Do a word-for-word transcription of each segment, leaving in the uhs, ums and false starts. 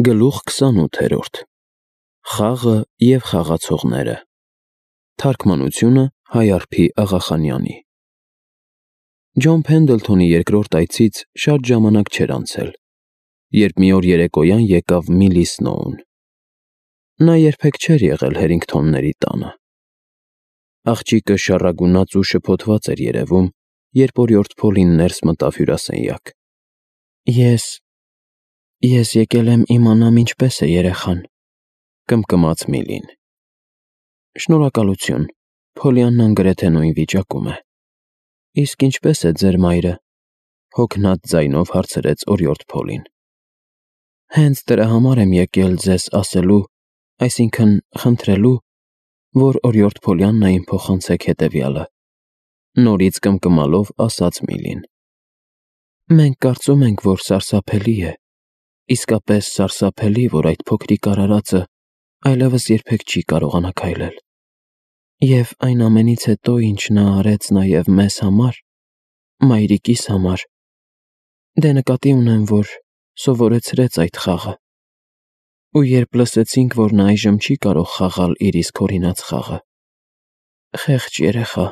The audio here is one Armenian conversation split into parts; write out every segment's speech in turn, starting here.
Գլուխ քսանութերորդ Խաղը և խաղացողները Թարգմանությունը Հայարփի Աղախանյանի Ջոն Փենդլթոնի երկրորդ այցից շատ ժամանակ չէր անցել, երբ մի օր երեկոյան եկավ Միլի Սնոուն։ Նա երբեք չէր եղել Հերինգթոնների տանը։ Աղջիկը շառագունած ու շփոթված էր երևում, երբ օրիորդ Փոլին ներս մտավ հյուրասենյակ։ Ես… ես եկել եմ իմանամ ինչպես է երեխան, կմկմաց Միլին։ Շնորհակալություն, Փոլիաննան գրեթե նույն վիճակում է։ Իսկ ինչպես է ձեր մայրը, հոգնած ձայնով հարցրեց օրիորդ Փոլին։ Հենց դրա համար եմ եկել ձեզ ասելու, այսինքն խնդրելու, որ օրիորդ Փոլիաննային փոխանցեք հետևյալը, նորից կմկմալով ասաց Միլին։ Մենք կարծում ենք, որ սարսափելի է, իսկապես սարսափելի, որ այդ փոքրիկ արարածը այլևս երբեք չի կարողանա քայլել։ Եվ այն ամենից հետո, ինչ նա արեց նաև մեզ համար, մայրիկիս համար, դե նկատի ունեմ, որ սովորեցրեց այդ խաղը։ Ու երբ լսեցինք, որ նա այժմ չի կարող խաղալ իր իսկ հորինած խաղը… Խեղճ երեխա…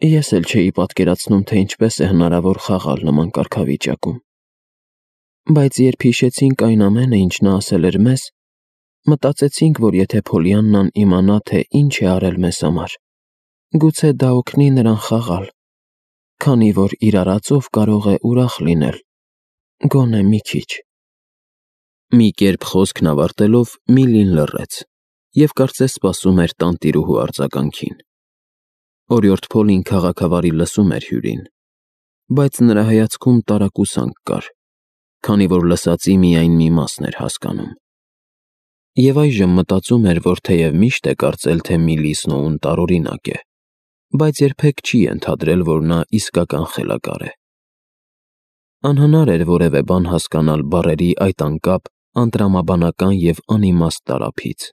Ես էլ չէի պատկերացնում, թե ինչպես է հնարավոր խաղալ նման կարգավիճակում։ Բայց երբ հիշեցինք այն ամենը, ինչ նա ասել էր մեզ, մտածեցինք, որ եթե Փոլիաննան իմանա, թե ինչ է արել մեզ համար, գուցե դա օգնի նրան խաղալ, քանի որ իր արածով կարող է ուրախ լինել, գոնե մի քիչ։ Մի կերպ խոսքն ավարտելով Միլին լռեց և կարծես սպասում էր տանտիրուհու արձագանքին։ Օրիորդ Փոլին քաղաքավարի լսում էր հյուրին, բայց նրա հայացքում տարակուսանք կար, քանի որ լսածի միայն մի մասն էր հասկանում։ Եվ այժմ մտածում էր, որ թեև միշտ է կարծել, թե Միլի Սնոուն տարօրինակ է, բայց երբեք չի ենթադրել, որ նա իսկական խելագար է։ Անհնար էր որևէ բան հասկանալ բառերի այդ անկապ, անտրամաբանական և անիմաստ տարափից։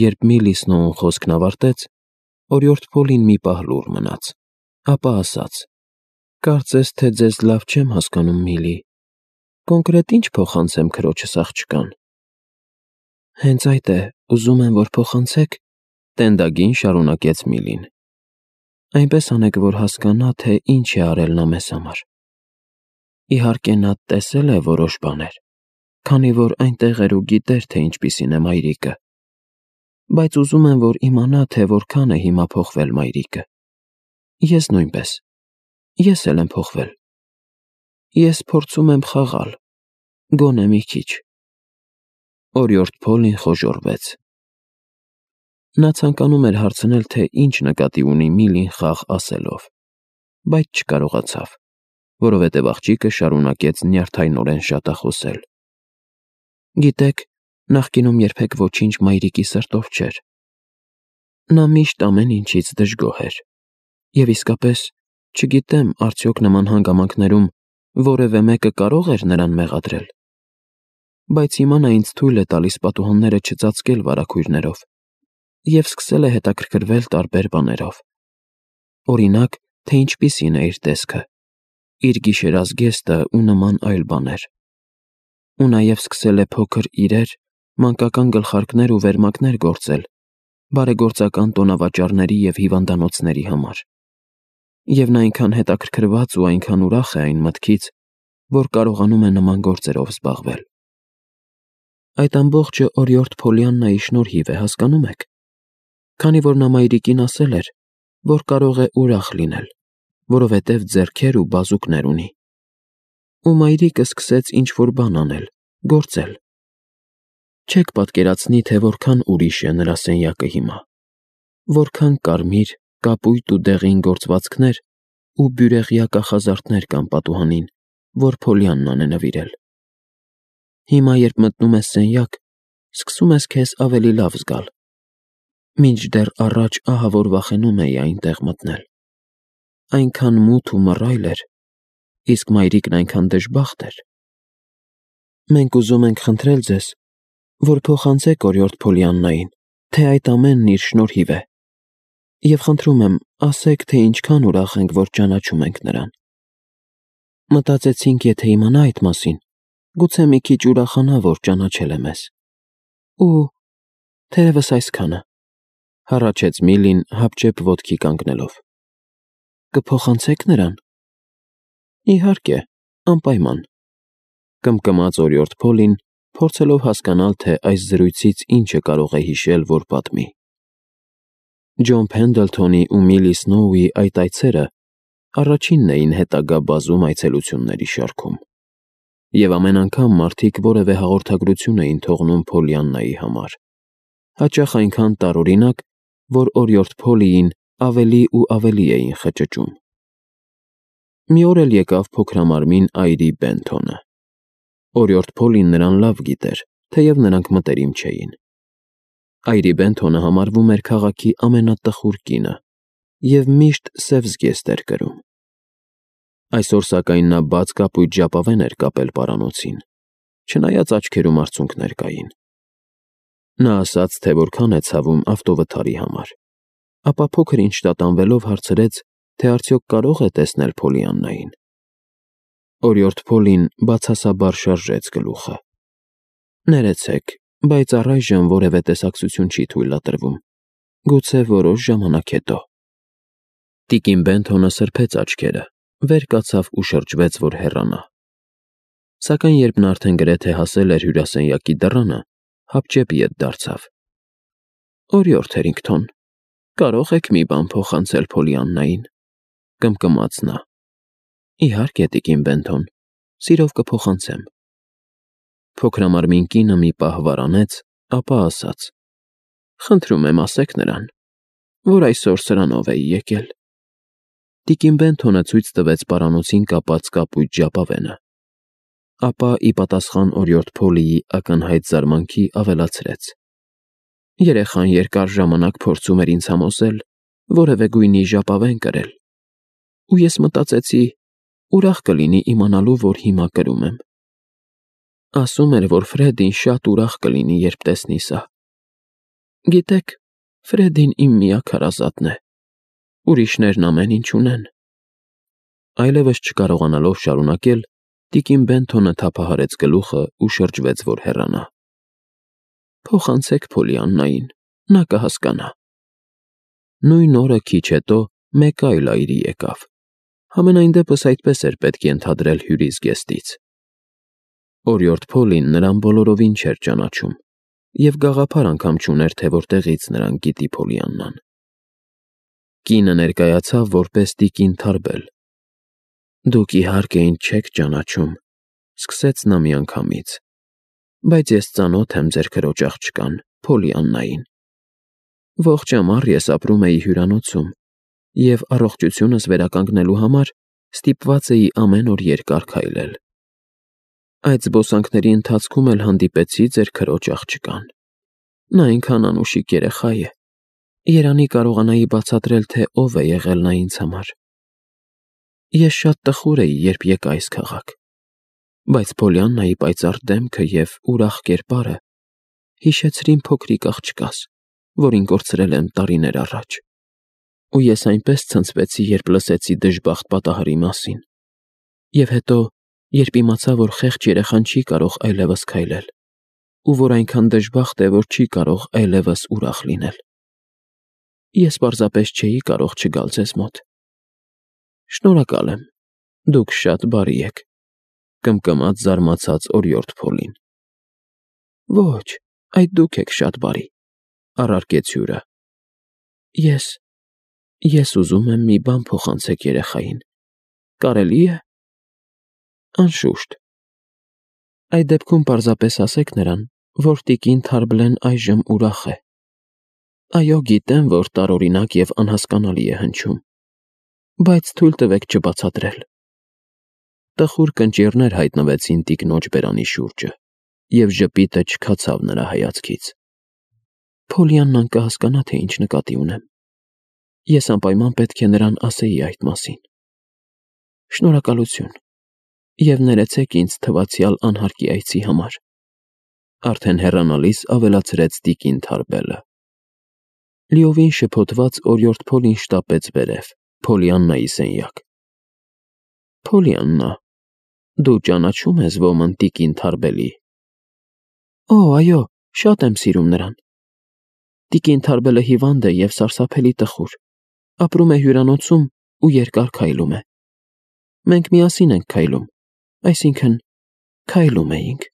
Երբ Միլի Սնոուն խոսքն ավարտեց, օրիորդ Փոլին մի պահ լուռ մնաց, ապա ասաց. Կարծես թե ձեզ լավ չեմ հասկանում, Միլի, կոնկրետ ինչ փոխանցեմ քրոջս աղջկան։ Հենց այդ է, ուզում եմ, որ փոխանցեք, տենդագին շարունակեց Միլին։ Այնպես անեք, որ հասկանա, թե ինչ է արել նա մեզ համար։ Իհարկե նա տեսել է որոշ բաներ, քանի որ այնտեղ էր ու գիտեր, թե ինչպիսին է մայրիկը, բայց ուզում եմ, որ իմանա, թե որքան է հիմա փոխվել մայրիկը։ Ես նույնպես, ես էլ եմ փոխվել։ Ես փորձում եմ խաղալ, գոնե մի քիչ։ Օրիորդ Փոլին խոժոռվեց։ Նա ցանկանում էր հարցնել, թե ինչ նկատի ունի Միլին խաղ ասելով, բայց չկարողացավ, որովհետև աղջիկը շարունակեց նյարդայնորեն շատախոսել։ Գիտեք, նախկինում երբեք ոչինչ մայրիկի սրտով չէր։ Նա միշտ ամեն ինչից դժգոհ էր։ Եվ իսկապես, չգիտեմ, արդյոք նման հանգամանքներում որևէ մեկը կարող էր նրան մեղադրել։ Բայց հիմա նա ինձ թույլ է տալիս պատուհանները չծածկել վարագույրներով և սկսել է հետաքրքրվել տարբեր բաներով։ Օրինակ, թե ինչպիսին է իր տեսքը, իր գիշերազգեստը ու նման այլ բաներ։ Ու նաև սկսել է փոքր իրեր, մանկական գլխարկներ ու վերմակներ գործել բարեգործական տոնավաճառների և հիվանդանոցների համար։ Եվ նա այնքան հետաքրքրված ու այնքան ուրախ է այն մտքից, որ կարողանում է նման գործերով զբաղվել։ Այդ ամբողջը օրիորդ Փոլիաննայի շնորհիվ է, հասկանում եք, քանի որ նա մայրիկին ասել էր, որ կարող է ուրախ լինել, որովհետև ձեռքեր ու բազուկներ ունի։ Ու մայրիկը սկսեց ինչ-որ բան անել, գործել։ Չեք պատկերացնի, թե որքան ուրիշ է նրա սենյակը հիմա, որքան կարմիր, կապույտ ու դեղին գործվածքներ ու բյուրեղյա կախազարդներ կան պատուհանին, որ Փոլիաննան է նվիրել։ Հիմա, երբ մտնում ես սենյակ, սկսում ես քեզ ավելի լավ զգալ, մինչդեռ առաջ ահա որ վախենում էի այնտեղ մտնել։ Այնքան մութ ու մռայլ էր, իսկ մայրիկն այնքան դժբախտ էր։ Մենք ուզում ենք խնդրել ձեզ, որ փոխանցեք օրիորդ Փոլիաննային, թե այդ ամենն իր շնորհիվ է, և խնդրում եմ, ասեք, թե ինչքան ուրախ ենք, որ ճանաչում ենք նրան։ Մտածեցինք, եթե իմանա այդ մասին, Գուցե մի քիչ ուրախանա, որ ճանաչել է մեզ։ Ու թերևս այսքանը, հառաչեց Միլին հապճեպ ոտքի կանգնելով։ Կփոխանցեք նրան։ Իհարկե, անպայման, կմկմաց օրիորդ Փոլին, փորձելով հասկանալ, թե այս զրույցից ինչը կարող է հիշել, որ պատմի։ Ջոն Փենդլթոնի ու Միլի Սնոուի այդ այցերը առաջինն էին հետագա բազում այցելությունների շարքում, եւ ամեն անգամ մարդիկ որևէ հաղորդագրություն էին թողնում Փոլիաննայի համար, հաճախ այնքան տարօրինակ, որ օրիորդ Փոլիին ավելի ու ավելի էին խճճում։ Մի օր էլ եկավ փոքրամարմին Այրի Բենթոնը։ Օրիորդ Փոլին նրան լավ գիտեր, թեև նրանք մտերիմ չէին։ Այրի Բենթոնը համարվում էր քաղաքի ամենատխուր կինը և միշտ սև զգեստ էր կրում։ Այսօր սակայն նա բաց կապույտ ժապավեն էր կապել պարանոցին, չնայած աչքերում արցունքներ կային։ Նա ասաց, թե որքան է ցավում ավտովթարի համար, ապա փոքր-ինչ տատանվելով հարցրեց, թե արդյոք կարող է տեսնել Փոլիաննային։ Օրիորդ Փոլին բացասաբար շարժեց գլուխը։ Ներեցեք, բայց առայժմ որևէ տեսակցություն չի թույլատրվում, գուցե որոշ ժամանակ հետո։ Տիկին Բենթոնը սրբեց աչքերը, վեր կացավ ու շրջվեց, որ հեռանա։ Սակայն երբ նա արդեն գրեթե հասել էր հյուրասենյակի դռանը, հապճեպ ետ դարձավ։ Օրիորդ Թերինգթոն, կարող եք մի բան փոխանցել Փոլիաննային, կմկմաց նա։ Իհարկե, տիկին Բենթոն, սիրով կփոխանցեմ։ Փոքրամարմին կինը մի պահ վարանեց, ապա ասաց. Խնդրում եմ ասեք նրան, որ այսօր սրանով էի եկել։ Տիկին Բենթոնը ցույց տվեց պարանոցին կապած կապույտ ժապավենը, ապա ի պատասխան օրիորդ Փոլիի ակնհայտ զարմանքի ավելացրեց. Երեխան երկար ժամանակ փորձում էր ինձ համոզել որևէ գույնի ժապավեն կրել, ու ես մտածեցի, ուրախ կլինի իմանալու, որ հիմա կրում եմ։ Ասում էր, որ Ֆրեդին շատ ուրախ կլինի, երբ տեսնի սա։ Գիտեք, Ֆրեդին իմ միակ հարազատն է, ուրիշներն ամեն ինչ ունեն։ Այլևս չկարողանալով շարունակել, տիկին Բենթոնը թափահարեց գլուխը ու շրջվեց, որ հեռանա։ Փոխանցեք Փոլիաննային, նա կհասկանա։ Նույն օրը քիչ հետո մեկ այլ այրի եկավ։ Համենայն դեպս այդպես էր պետք ենթադրել հյուրի զգեստից։ Օրիորդ Փոլին նրան բոլորովին չէր ճանաչում և գաղափար անգամ չուներ, թե որտեղից նրան գիտի Փոլիաննան։ Կինը ներկայացավ որպես տիկին Թարբել։ Դուք իհարկե ինձ չեք ճանաչում, սկսեց նա միանգամից, բայց ես ծանոթ եմ ձեր քրոջ աղջկան, Փոլիաննային։ Ողջ ամառ ես ապրում էի հյուրանոցում և առողջությունս վերականգնելու համար ստիպված էի ամեն օր երկար քայլել։ Այդ զբոսանքների ընթացքում էլ հանդիպեցի ձեր քրոջ աղջկան։ Նա այնքան անուշիկ երեխա է, երանի կարողանայի բացատրել, թե ով է եղել նա ինձ համար։ Ես շատ տխուր էի, երբ եկա այս քաղաք, բայց Փոլիաննայի պայծառ դեմքը և ուրախ կերպարը հիշեցրին փոքրիկ աղջկաս, որին կորցրել եմ տարիներ առաջ, ու ես այնպես ցնցվեցի, երբ լսեցի դժբախտ պատահարի մասին, և հետո, երբ իմացա, որ խեղճ երեխան չի կարող այլևս քայլել, ու որ այնքան դժբախտ է, որ չի կարող այլևս ուրախ լինել։ Ես պարզապես չէի կարող չգալ ձեզ մոտ։ Շնորհակալ եմ, դուք շատ բարի եք, կմկմաց զարմացած օրիորդ Փոլին։ Ոչ, այդ դուք եք շատ բարի, առարկեց հյուրը։ Ես, ես ուզում եմ մի բան փոխանցեք երեխային, կարելի է։ Անշուշտ։ Այդ դեպքում պարզապես ասեք նրան, որ տիկին Թարբլեն այժմ ուրախ է։ Այո, գիտեմ, որ տարօրինակ և անհասկանալի է հնչում, բայց թույլ տվեք չբացատրել։ Տխուր կնճիռներ հայտնվեցին տիկնոջ բերանի շուրջը, և ժպիտը չքացավ նրա հայացքից։ Փոլիաննան կհասկանա, թե ինչ նկատի ունեմ։ Ես անպայման պետք է նրան ասեի այդ մասին։ Շնորհակալություն, և ներեցեք ինձ թվացյալ անհարկի այցի համար, արդեն հեռանալիս ավելացրեց տիկին Թարբելը։ Լիովին շփոթված օրիորդ Փոլին շտապեց վերև, Փոլիաննայի սենյակ։ Փոլիաննա, Դու ճանաչում ես ոմն տիկին Թարբելի։ Օ, այո, շատ եմ սիրում նրան։ Տիկին Թարբելը հիվանդ է և սարսափելի տխուր, ապրում է հյուրանոցում ու երկար քայլում է։ Մենք միասին ենք քայլում, այսինքն՝ քայլում էինք։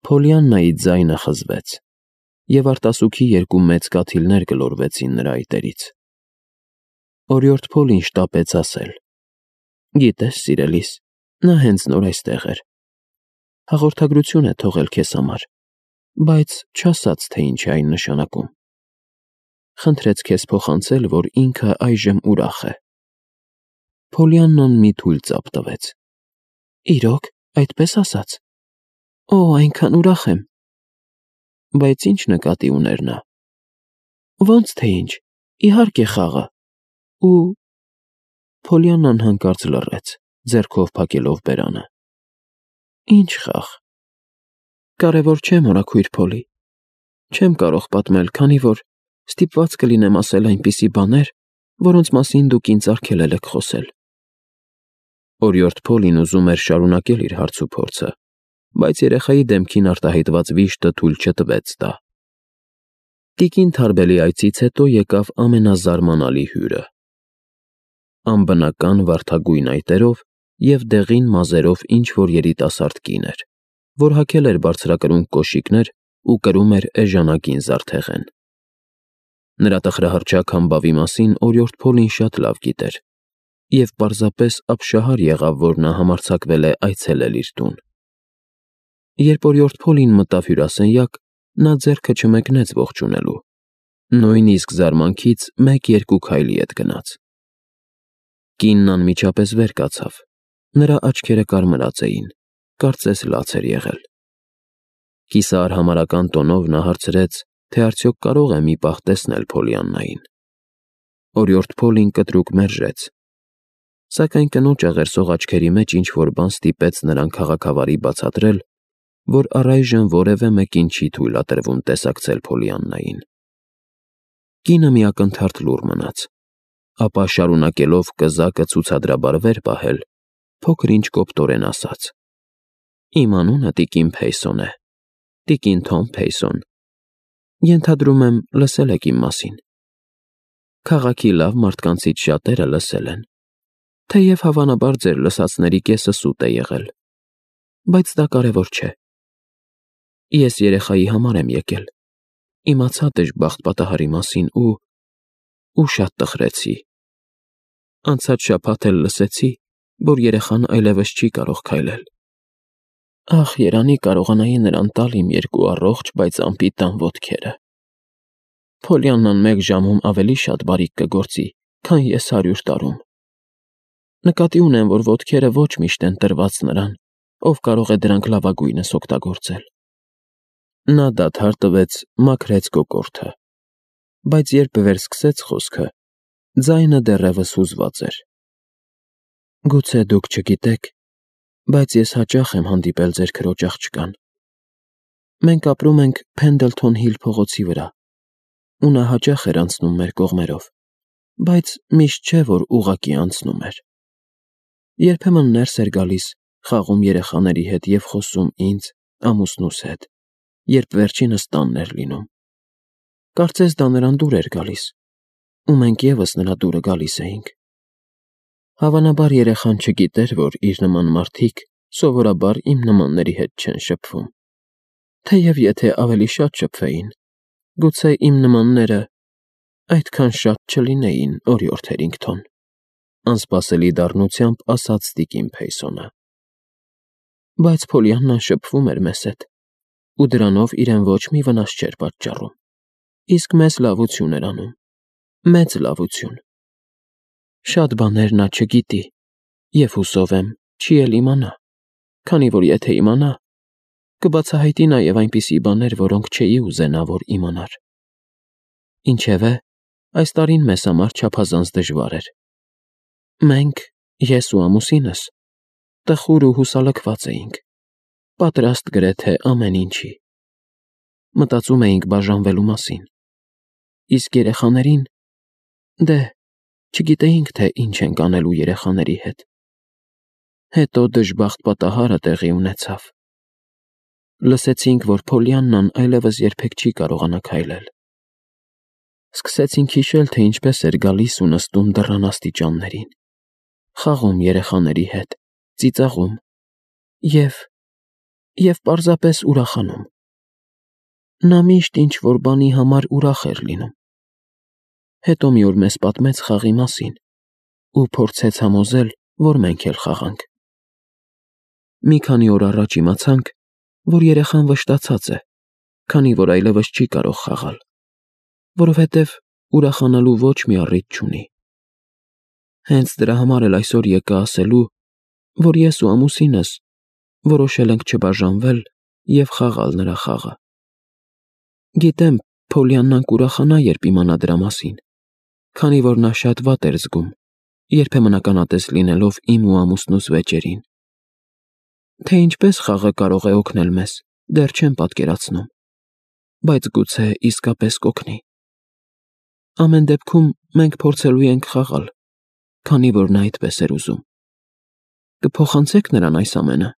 Փոլիաննայի ձայնը խզվեց, և արտասուքի երկու մեծ կաթիլներ գլորվեցին նրա այտերից։ Օրիորդ Փոլին շտապեց ասել. Գիտես, սիրելիս, նա հենց նոր այստեղ էր։ Հաղորդագրություն է թողել քեզ համար, բայց չասաց, թե ինչ է այն նշանակում։ Խնդրեց քեզ փոխանցել, որ ինքը այժմ ուրախ է։ Փոլիաննան մի թույլ ծափ տվեց։ Իրոք, այդպես ասաց։ Օ, այնքան ուրախ եմ։ Բայց ինչ նկատի ուներ նա։ Ոնց թե ինչ, իհարկե խաղը։ Ու Փոլիաննան հանկարծ լռեց, ձեռքով փակելով բերանը։ Ինչ խաղ։ Կարևոր չէ, մորաքույր Փոլի։ Չեմ կարող պատմել, քանի որ ստիպված կլինեմ ասել այնպիսի բաներ, որոնց մասին դուք ինձ արգելել եք խոսել։ Օրիորդ Փոլին ուզում էր շարունակել իր հարցուփորձը, բայց երեխայի դեմքին արտահայտված վիշտը թույլ չտվեց տա։ Տիկին Թարբելի այցից հետո եկավ ամենազարմանալի հյուրը։ Անբնական վարդագույն այտերով և դեղին մազերով ինչ-որ երիտասարդ կին էր, որ հագել էր բարձրակրունկ կոշիկներ ու կրում էր էժանագին զարդեղեն։ Նրա տխրահռչակ համբավի մասին օրիորդ Փոլին շատ լավ գիտեր, և պարզապես ապշահար եղավ, որ նա համարձակվել է այցելել իր տուն։ Երբ օրիորդ Փոլին մտավ հյուրասենյակ, նա ձեռքը չմեկնեց ողջունելու, նույնիսկ զարմանքից մեկ-երկու քայլի հետ գնաց։ Կինն անմիջապես վեր կացավ, նրա աչքերը կարմրած էին, կարծես լաց էր եղել։ Կիսահարհամարական տոնով նա հարցրեց, թե արդյոք կարող է մի պահ տեսնել Փոլիաննային։ Օրիորդ Փոլին կտրուկ մերժեց, սակայն կնոջ աղերսող աչքերի մեջ ինչ-որ բան ստիպեց նրան քաղաքավարի բացատրել, որ առայժմ որևէ մեկին չի թույլատրվում տեսակցել Փոլիաննային։ Կինը մի ակնթարթ լուռ մնաց, ապա շարունակելով կզակը ցուցադրաբար վեր պահել, փոքր-ինչ կոպտորեն ասաց. Իմ անունը տիկին Փեյսոն է, տիկին Թոմ Փեյսոն։ Ենթադրում եմ, լսել եք իմ մասին։ Քաղաքի լավ մարդկանցից շատերը լսել են, թեև հավանաբար ձեր լսածների կեսը սուտ է եղել, բայց դա կարևոր չէ։ Ես երեխայի համար եմ եկել, իմացա դժբախտ պատահարի մասին ու… ու շատ տխրեցի։ Անցած շաբաթ էլ լսեցի, որ երեխան այլևս չի կարող քայլել։ Ախ, երանի կարողանայի նրան տալ իմ երկու առողջ, բայց անպիտան ոտքերը։ Փոլիաննան մեկ ժամում ավելի շատ բարիք կգործի, քան ես հարյուր տարում։ Նկատի ունեմ, որ ոտքերը ոչ միշտ են տրված նրան, ով կարող է դրանք լավագույնս օգտագործել։ Նա դադար տվեց, մաքրեց կոկորդը, բայց երբ վերսկսեց խոսքը, ձայնը դեռևս հուզված էր։ Գուցե դուք չգիտեք, բայց ես հաճախ եմ հանդիպել ձեր քրոջ աղջկան։ Մենք ապրում ենք Փենդլթոն Հիլ փողոցի վրա, ու նա հաճախ էր անցնում մեր կողմերով, բայց միշտ չէ, որ ուղղակի անցնում էր։ Երբեմն ներս էր գալիս, խաղում երեխաների հետ և խոսում ինձ, ամուսնուս հետ, երբ վերջինս տանն էր լինում։ Կարծես դա նրան դուր էր գալիս, ու մենք ևս նրա դուրը գալիս էինք։ Հավանաբար երեխան չգիտեր, որ իր նման մարդիկ սովորաբար իմ նմանների հետ չեն շփվում։ Թեև եթե ավելի շատ շփվեին, գուցե իմ նմանները այդքան շատ չլինեին, օրիորդ Հերինգթոն, անսպասելի դառնությամբ ասաց տիկին Փեյսոնը։ Բայց Փոլիաննան շփվում էր մեզ հետ, ու դրանով իրեն ոչ մի վնաս չէր պատճառում, իսկ մեզ լավություն էր անում, մեծ լավություն։ Շատ բաներ նա չգիտի, և հուսով եմ, չի էլ իմանա, քանի որ եթե իմանա, կբացահայտի նաև այնպիսի բաներ, որոնք չէի ուզենա, որ իմանար։ Ինչևէ, այս տարին մեզ համար չափազանց դժվար էր։ Մենք, ես ու ամուսինս, տխուր ու հուսալքված էինք, պատրաստ գրեթե ամեն ինչի։ Մտածում էինք բաժանվելու մասին։ Իսկ երեխաներին… դե, չգիտեինք, թե ինչ ենք անելու երեխաների հետ։ Հետո դժբախտ պատահարը տեղի ունեցավ։ Լսեցինք, որ Փոլիաննան այլևս երբեք չի կարողանա քայլել։ Սկսեցինք հիշել, թե ինչպես էր գալիս ու նստում դռան աստիճաններին, խաղում երեխաների հետ, ծիծաղում և… և պարզապես ուրախանում։ Նա միշտ ինչ-որ բանի համար ուրախ էր լինում։ Հետո մի օր մեզ պատմեց խաղի մասին ու փորձեց համոզել, որ մենք էլ խաղանք։ Մի քանի օր առաջ իմացանք, որ երեխան վշտացած է, քանի որ այլևս չի կարող խաղալ, որովհետև ուրախանալու ոչ մի առիթ չունի։ Հենց դրա համար էլ այսօր եկա ասելու, որ ես ու ամուսինս որոշել ենք չբաժանվել և խաղալ նրա խաղը։ Գիտեմ, Փոլիաննան կուրախանա, երբ իմանա դրա մասին, քանի որ նա շատ վատ էր զգում, երբեմն ականատես լինելով իմ ու ամուսնուս վեճերին։ Թե ինչպես խաղը կարող է օգնել մեզ, դեռ չեմ պատկերացնում, բայց գուցե իսկապես կօգնի։ Ամեն դեպքում մենք փորձելու ենք խաղալ, քանի որ նա այդպես էր ուզում։ Կփոխանցե՞ք նրան այս ամենը։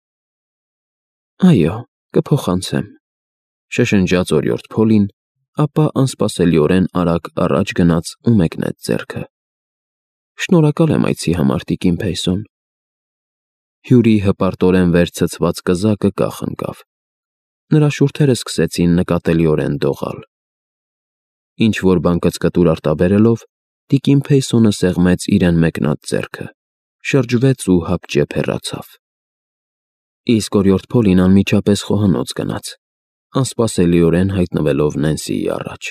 Այո, կփոխանցեմ, շշնջաց օրիորդ Փոլին, ապա անսպասելիորեն արագ առաջ գնաց ու մեկնեց ձեռքը։ Շնորհակալ եմ այցի համար, տիկին Փեյսոն։ Հյուրի հպարտորեն վեր ցցված կզակը կախ ընկավ։ Նրա շուրթերը սկսեցին նկատելիորեն դողալ։ Ինչ-որ բան կծկտուր արտաբերելով, տիկին Փեյսոնը սեղմեց իրեն մեկնած ձեռքը, շրջվեց ու հապճեպ հեռացավ։ Իսկ օրիորդ Փոլին անմիջապես խոհանոց գնաց, անսպասելիորեն հայտնվելով Նենսիի առաջ։